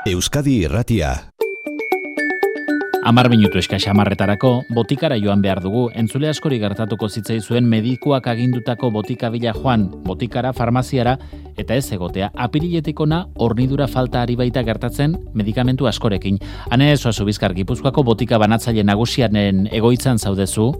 Euskadi Irratia. 10 minutu eskas 10etarako botikara joan behar dugu. Entzule askori gertatuko zitzaizuen medikuak agindutako botikabila joan, botikara, farmaziara, eta ez egotea. Apiriletik ona hornidura falta ari baita gertatzen medikamentu askorekin. Ane Soazu Bizkar, Gipuzkoako botika banatzaile nagusianen egoitzan zaudezu.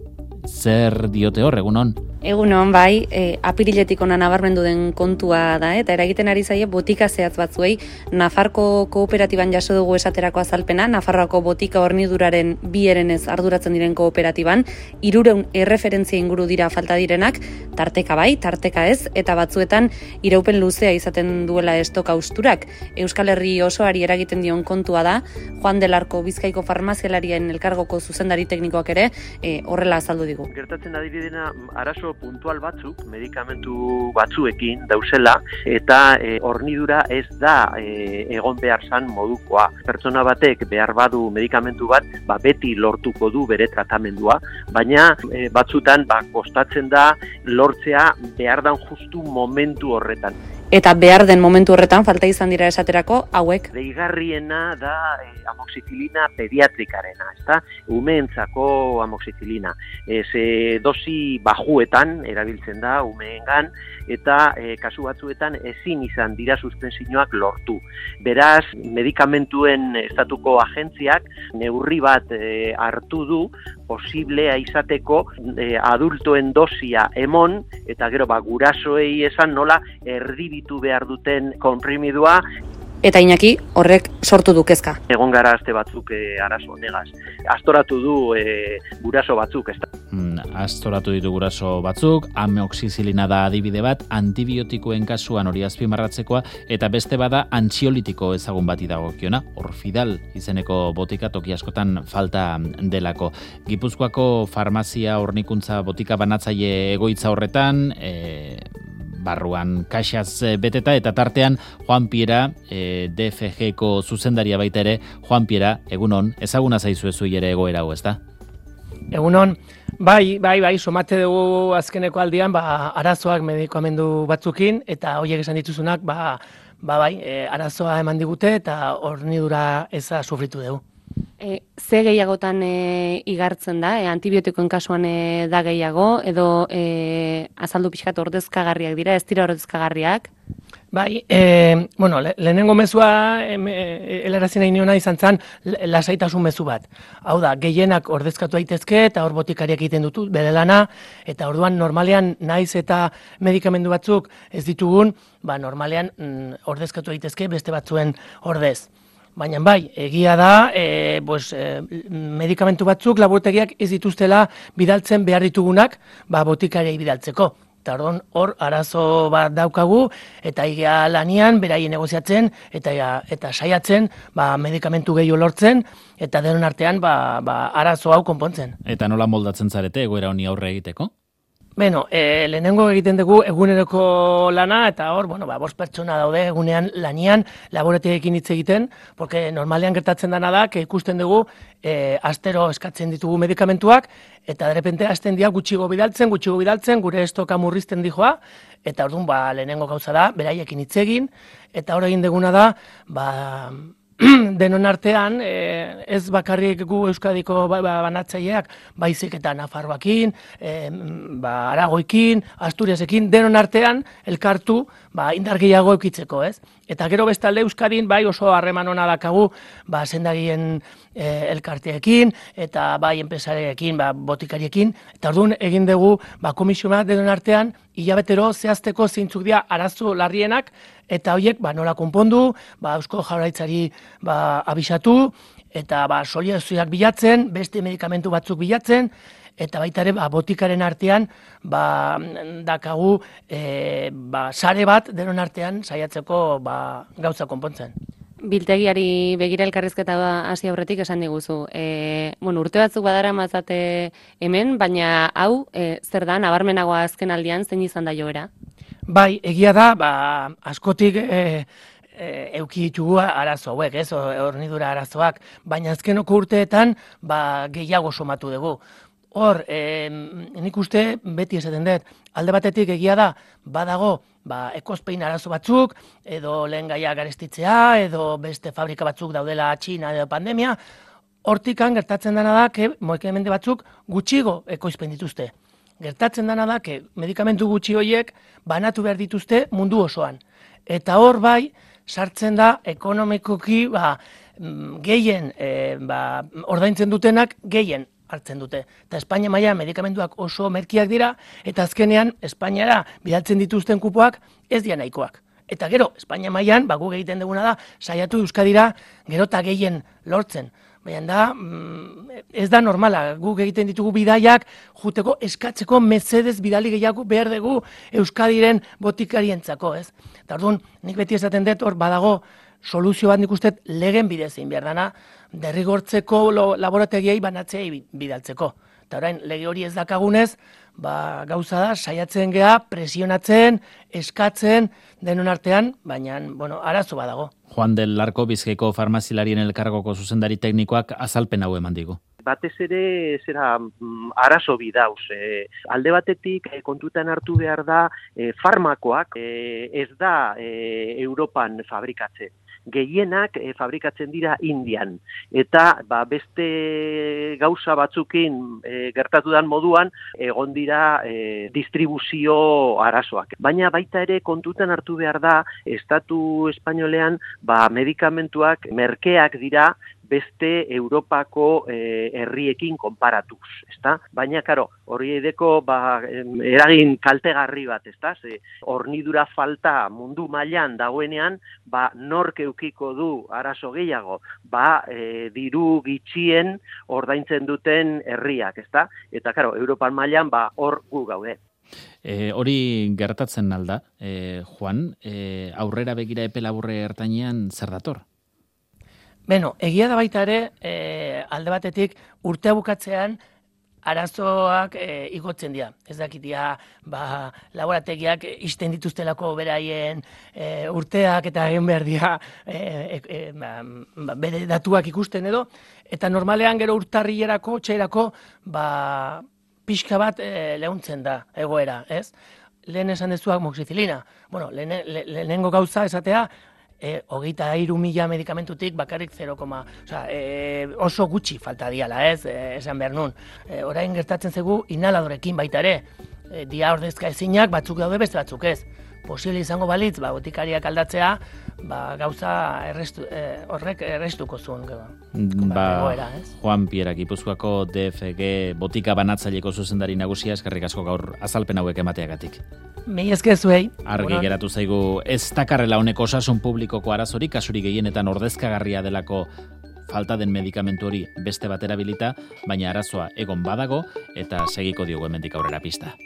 Zer diote hor, egunon? Egunon, bai, apiriletik ona nabarmendu den kontua da, eta eragiten ari zaie botika zehatz batzuei. Nafarko kooperatiban jaso dugu esaterako azalpena, Nafarroako botika horniduraren bi erenez arduratzen diren kooperatiban, 300 erreferentzia inguru dira falta direnak, tarteka bai, tarteka ez, eta batzuetan iraupen luzea izaten duela estok austurak. Euskal Herri osoari eragiten dion kontua da, Juan del Arco Bizkaiko farmazialarien elkargoko zuzendari teknikoak ere horrela azaldu digu. Gertatzen adibidena arazo puntual batzuk, medikamentu batzuekin dauzela, eta hornidura ez da egon behar zan modukoa. Pertsona batek behar badu medikamentu bat, beti lortuko du bere tratamendua, baina batzutan kostatzen da lortzea behar dan justu momentu horretan. Eta behar den momentu horretan falta izan dira esaterako hauek. Deigarriena da amoxicilina pediatrikarena, ezta? Umeentzako amoxicilina. Dosi bajuetan erabiltzen da umeengan, eta kasu batzuetan ezin izan dira suspensioak lortu. Beraz, medikamentuen estatuko agentziak neurri bat hartu du posiblea izateko adultoen dosia emon, eta gero gurasoei esan nola erdibitu behar duten konprimidua. Eta Iñaki, horrek sortu du kezka. Egon gara aste batzuk arazo honegaz. Astoratu du guraso batzuk, ezta? Astoratu ditu guraso batzuk, amoxicilina da adibide bat, antibiotikoen kasuan hori azpimarratzekoa, eta beste bada antxiolitiko ezagun bati dagokiona, Orfidal izeneko botika toki askotan falta delako. Gipuzkoako farmazia hornikuntza botika banatzaile egoitza horretan, barruan kaxaz beteta, eta tartean Juan Piera, DFG-ko zuzendaria baita ere. Juan Piera, egunon, ezaguna zaizu ere egoera hau, ezta? Egunon, bai, somate dugu azkeneko aldian, arazoak medikamendu batzukin, eta horiek esan dituzunak, arazoa eman digute, eta hornidura eza sufritu dugu. Ze gehiagotan igartzen da, antibiotikoen kasuan da gehiago, edo azaldu pixkat ordezkagarriak dira, ez dira ordezkagarriak? Bai, lehenengo mezua helarazi nahi niona izan zen lasaitasun mezu bat. Hau da, gehienak ordezkatu daitezke eta hor botikariak egiten dutu bere lana, eta orduan normalean naiz eta medikamendu batzuk ez ditugun, normalean ordezkatu daitezke beste batzuen ordez. Baina bai, egia da, medikamentu batzuk laborategiak ez dituztela bidaltzen behar ditugunak botikariei bidaltzeko. Eta hor arazo bat daukagu, eta egia lanian, beraien negoziatzen, eta saiatzen medikamentu gehiago lortzen, eta denon artean arazo hau konpontzen. Eta nola moldatzen zarete egoera honi aurre egiteko? Lehenengo egiten dugu eguneroko lana, eta hor, 5 pertsona daude egunean lanian laborategiekin hitz egiten, porque normalean gertatzen dena da, ikusten dugu, astero eskatzen ditugu medikamentuak, eta derrepente hasten dira gutxigo bidaltzen, gure estoka murrizten dijoa, eta orduan lehenengo gauza da, beraiekin hitz egin, eta hor egin duguna da, denon artean, ez bakarrik gu Euskadiko banatzaileak, baizik eta Nafarroakin, Aragoikin, Asturiasekin, denon artean elkartu indar gehiago eukitzeko, ez? Eta gero bestalde Euskadin oso harreman ona dakagu sendagien elkarteekin, eta enpresarekin, botikariekin, eta orduan egin dugu komisio bat denon artean, hilabetero zehazteko zeintzuk dira arazo larrienak, eta horiek nola konpondu, Eusko Jaurlaritzari abisatu, eta solidazioak bilatzen, beste medikamentu batzuk bilatzen, eta baita ere botikaren artean dakagu sare bat denon artean saiatzeko gauza konpontzen. Biltegiari begira elkarrizketa hasi aurretik esan diguzu. Urte batzuk badara mazate hemen, baina hau zer da, nabarmenagoa azken aldian, zein izan da joera? Bai, egia da, askotik euki ditugu arazo hauek, hornidura arazoak, baina azkenoko urteetan gehiago somatu dugu. Hor, nik uste beti esaten dut, alde batetik egia da, badago, ekoizpen arazo batzuk, edo lehen gaia garestitzea, edo beste fabrika batzuk daudela Txina edo pandemia, hortikan gertatzen dena da, medikamentu batzuk gutxigo ekoizpen dituzte. Gertatzen dena da, medikamentu gutxi horiek banatu behar dituzte mundu osoan. Eta hor bai, sartzen da ekonomikoki gehien ordaintzen dutenak gehien hartzen dute. Eta Espainia mailan medikamentuak oso merkiak dira, eta azkenean Espainiara bidaltzen dituzten kupoak ez dira nahikoak. Eta gero, Espainia mailan, guk egiten duguna da, saiatu Euskadira gero eta gehien lortzen. Baina da, ez da normala, guk egiten ditugu bidaiak, juteko eskatzeko mesedez bidali gehiago behar dugu Euskadiren botikarientzako, ez? Eta orduan, nik beti esaten dut, hor badago soluzio bat nik uste legen bidez egin behar dana, derrigortzeko laborategiei banatzei bidaltzeko. Eta orain, lege hori ez dakagunez, gauza da, saiatzen geha, presionatzen, eskatzen, denon artean, baina, arazo badago. Juan del Larko, Bizkaiko farmazilarien elkargoko zuzendari teknikoak azalpen hau eman digu. Batez ere arazo bidauz. Alde batetik kontutan hartu behar da farmakoak ez da Europan fabrikatzen. Gehienak fabrikatzen dira Indian. Eta beste gauza batzukin gertatu dan moduan egon dira distribuzio arazoak. Baina baita ere kontutan hartu behar da Estatu Espainolean medikamentuak merkeak dira beste Europako herriekin konparatuz, ezta? Baina, karo, hori edeko eragin kaltegarri bat, ezta? Hornidura falta mundu mailan dagoenean, nork eukiko du arazo gehiago, diru gitxien ordaintzen duten herriak, ezta? Eta, karo, Europan mailan hor gu gaude. Hori gertatzen alda, Juan, aurrera begira epe laburre ertainean zer dator? Egia da baita ere, alde batetik urtea bukatzean arazoak igotzen dira. Ez dakitia, laborategiak isten dituztelako beraien urteak eta egin behar dira bere datuak ikusten edo, eta normalean gero urtarrilerako, txairako, pixka bat lehuntzen da egoera, ez? Lehen esan dezuak moxicilina. Lehenengo gauza esatea, 23.000 medikamentutik bakarrik 0, oso gutxi falta diala, ez, esan behar nun. Orain gertatzen zegu inhaladorekin baita ere, dia ordezka ezinak batzuk daude beste batzuk ez. Posible izango balitz, botikariak aldatzea, gauza horrek errestuko zuen. Juan Pierre, Gipuzkoako DFG botika banatzaileko zuzendari nagusia, eskerrik asko gaur azalpen hauek emateagatik. Mila esker zuei. Argi geratu zaigu ez dakarrela honeko osasun publikoko arazorik, kasurik gehienetan ordezkagarria delako falta den medikamentu hori beste bat erabilita, baina arazoa egon badago eta segiko diogu hemendik aurrera pista.